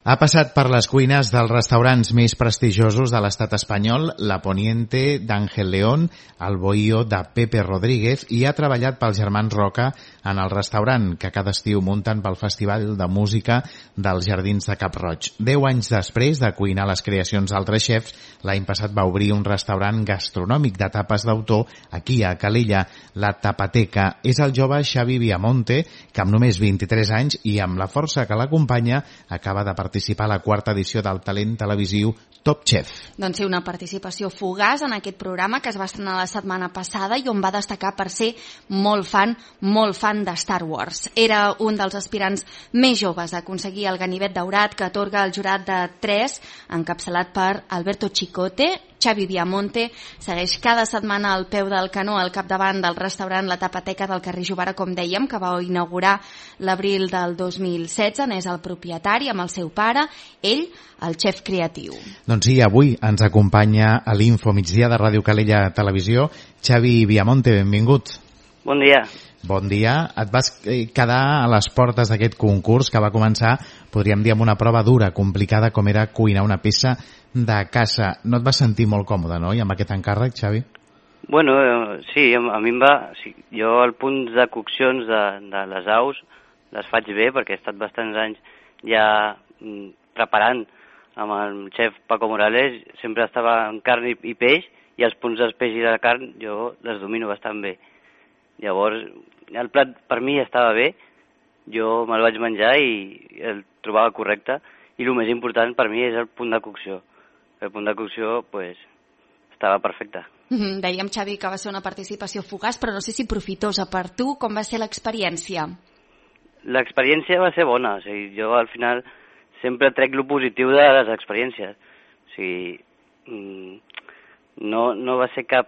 Ha passat per les cuines dels restaurants més prestigiosos de l'estat espanyol, la Poniente d'Ángel León, el Bohío de Pepe Rodríguez, i ha treballat pels germans Roca en el restaurant que cada estiu munten pel Festival de Música dels Jardins de Cap Roig. 10 anys després de cuinar les creacions d'altres xefs, l'any passat va obrir un restaurant gastronòmic de tapes d'autor aquí a Calella, la Tapateca. És el jove Xavi Viamonte, que amb només 23 anys i amb la força que l'acompanya acaba de participar a la quarta edició del talent televisiu Top Chef. Doncs sí, una participació fugaç en aquest programa que es va estrenar la setmana passada i on va destacar per ser molt fan de Star Wars. Era un dels aspirants més joves a aconseguir el ganivet daurat que atorga el jurat de 3, encapçalat per Alberto Chicote. Xavi Viamonte segueix cada setmana al peu del canó al capdavant del restaurant La Tapateca del carrer Jovara, com dèiem, que va inaugurar l'abril del 2016. N'és el propietari amb el seu pare, ell, el xef creatiu. Doncs sí, avui ens acompanya a l'Info Migdia de Ràdio Calella Televisió. Xavi Viamonte, benvingut. Bon dia. Bon dia. Et vas quedar a les portes d'aquest concurs que va començar, podríem dir, amb una prova dura, complicada, com era cuinar una peça de caça. No et vas sentir molt còmode, no?, i amb aquest encàrrec, Xavi? Bueno, sí, a mi em va... Sí, jo el punt de coccions de les aus les faig bé, perquè he estat bastants anys ja preparant amb el xef Paco Morales. Sempre estava en carn i peix, i els punts del peix i de la carn jo les domino bastant bé. Llavors, el plat per mi estava bé, jo me'l vaig menjar i el trobava correcte, i el més important per mi és el punt de cocció. El punt de cocció, pues, estava perfecte. Dèiem, Xavi, que va ser una participació fugaç, però no sé si profitosa per tu. Com va ser l'experiència? L'experiència va ser bona. O sigui, jo al final sempre trec lo positiu de les experiències. O sigui, no va ser cap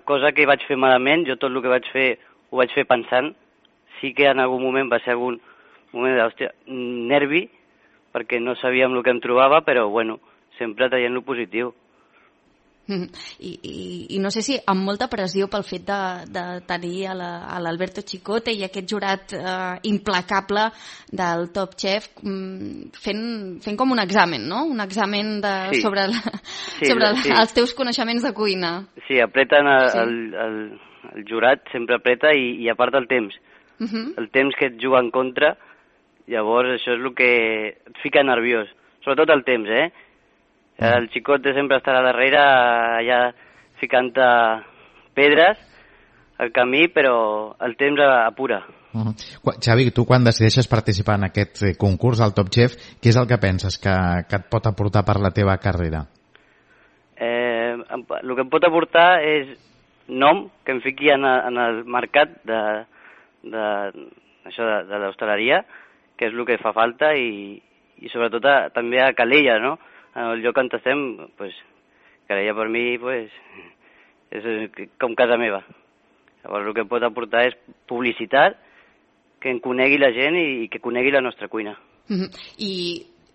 cosa que vaig fer malament. Jo tot el que vaig fer ho vaig fer pensant. Sí que en algun moment va ser algun moment de nervi, perquè no sabíem el que em trobava, però bueno, sempre traient lo positiu. I no sé si amb molta pressió pel fet de tenir a l'Alberto Chicote i aquest jurat implacable del Top Chef fent com un examen, no? Un examen sobre els teus coneixements de cuina. Sí, apreten el jurat, sempre apreta, i a part el temps. El temps que et juga en contra, llavors això és el que et fica nerviós. Sobretot el temps, El Chicote sempre estarà darrere, allà ficant-te pedres al camí, però el temps apura. Xavi, tu quan decideixes participar en aquest concurs al Top Chef, què és el que penses que et pot aportar per la teva carrera? El que em pot aportar és nom, que em fiqui en el mercat de l'hostaleria, que és el que fa falta, i sobretot també a Calella, no? En el lloc on estem, pues, Calella per mi pues, és com casa meva. Llavors el que pot aportar és publicitat, que en conegui la gent i que conegui la nostra cuina. I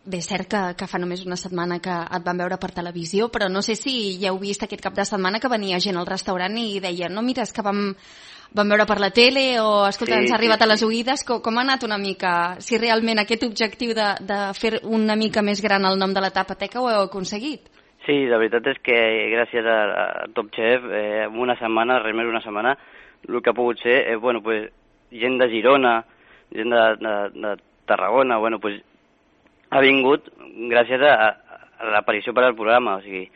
bé, és cert que fa només una setmana que et van veure per televisió, però no sé si ja heu vist aquest cap de setmana que venia gent al restaurant i deia, no, mira, és que vam veure per la tele, o escolta, ens ha arribat a les oïdes. Com ha anat una mica? Si realment aquest objectiu de fer una mica més gran el nom de la Tapateca ho heu aconseguit? Sí, la veritat és que gràcies a Top Chef, en una setmana, res més una setmana, el que ha pogut ser, bueno, pues, gent de Girona, gent de Tarragona, bueno, pues, ha vingut gràcies a l'aparició per al programa. O sigui,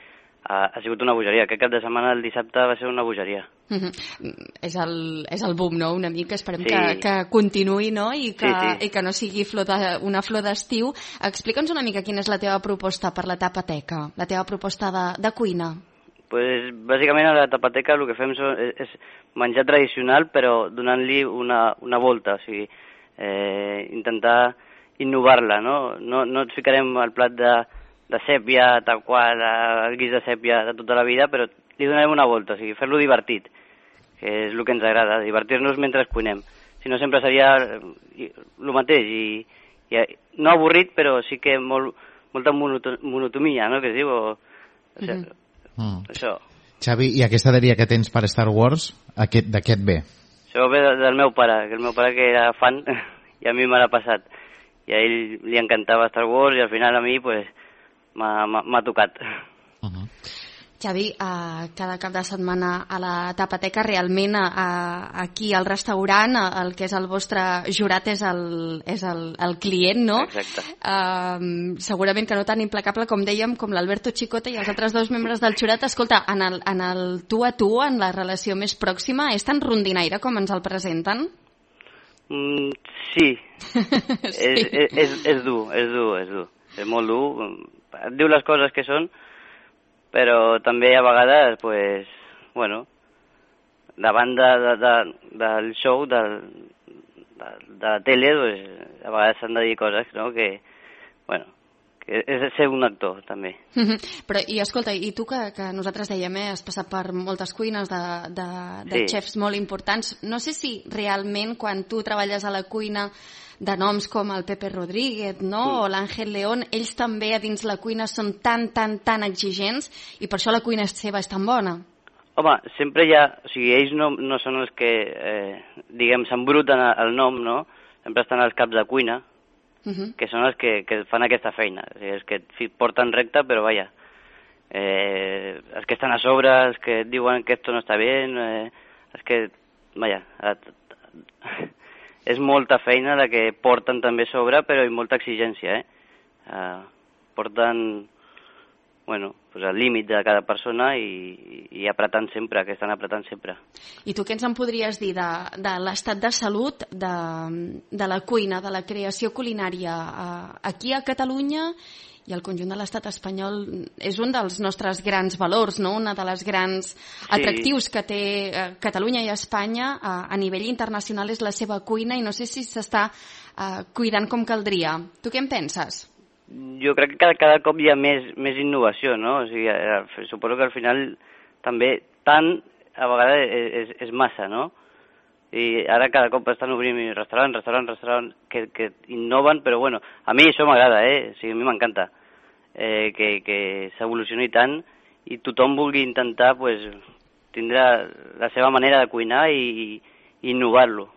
ha sigut una bogeria. Aquest cap de setmana, el dissabte, va ser una bogeria. És el boom, no?, una mica. Esperem que continuï, no?, i que no sigui una flor d'estiu. Explica'ns una mica quina és la teva proposta per la Tapateca, la teva proposta de cuina. Pues, bàsicament a la Tapateca el que fem és menjar tradicional, però donant-li una volta, o sigui, intentar innovar-la, no? No et ficarem al plat de sèpia, tal qual, el guix de sèpia de tota la vida, però li donarem una volta, o sigui, fer-lo divertit, que és el que ens agrada, divertir-nos mentre cuinem. Si no, sempre seria el mateix, i no avorrit, però sí que molta monotonia, no?, que es diu, això. Xavi, i aquesta dèria que tens per Star Wars, de què et ve? Això ve del meu pare, que el meu pare que era fan, i a mi me l'ha passat. i a ell li encantava Star Wars i al final a mi pues, m'ha tocat. Xavi, cada cap de setmana a la Tapateca, realment aquí al restaurant el que és el vostre jurat és el client, no? Exacte. Segurament que no tan implacable com dèiem, com l'Alberto Chicota i els altres dos membres del jurat. Escolta, en el tu a tu, en la relació més pròxima, és tan rondinaire com ens el presenten? Sí. És dur. És molt dur. Et diu les coses que són, però també a vegades, pues, bueno, davant del show, de la tele, pues, a vegades s'han de dir coses, no?, que, bueno, que és ser un actor, també. Però, i escolta, i tu que nosaltres dèiem, has passat per moltes cuines de xefs molt importants, no sé si realment quan tu treballes a la cuina de noms com el Pepe Rodríguez, no?, o l'Àngel León, ells també a dins la cuina són tan exigents i per això la cuina seva és tan bona. Home, sempre hi ha... O sigui, ells no són els que, diguem, s'embruten el nom, no? Sempre estan als caps de cuina, que són els que fan aquesta feina. O sigui, els que porten recte, però vaja, els que estan a sobre, els que diuen que esto no està bé, els que, vaja... És molta feina la que porten també sobre, però i molta exigència, porten, bueno, pues al límit de cada persona i apretant sempre, que estan apretant sempre. I tu què ens en podries dir de l'estat de salut de la cuina, de la creació culinària aquí a Catalunya i el conjunt de l'estat espanyol? És un dels nostres grans valors, no? Una de les grans atractius que té Catalunya i Espanya a nivell internacional és la seva cuina i no sé si s'està cuidant com caldria. Tu què en penses? Jo crec que cada cop hi ha més innovació, no? O sigui, suposo que al final també tant a vegades és massa, no? I ara cada cop estan obrint restaurants que innoven, però bueno, a mi això m'agrada, o sigui, a mi m'encanta que s'evolucioni tant i tothom vulgui intentar pues, tindre la seva manera de cuinar i innovar-lo.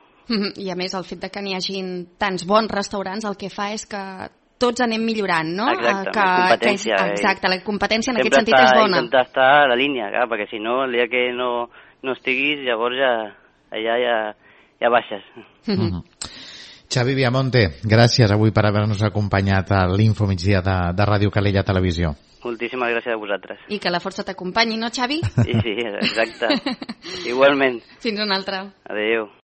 I a més el fet de que n'hi hagin tants bons restaurants el que fa és que tots anem millorant, no? Exacte, competència. Exacte, la competència en aquest sentit és bona. Sempre intentar estar a la línia, clar, perquè si no, el dia que no estiguis, llavors ja baixes. Xavi Viamonte, gràcies avui per haver-nos acompanyat a l'Info Migdia de Ràdio Calella Televisió. Moltíssimes gràcies a vosaltres. I que la força t'acompanyi, no, Xavi? Sí, exacte. Igualment. Fins una altra. Adéu.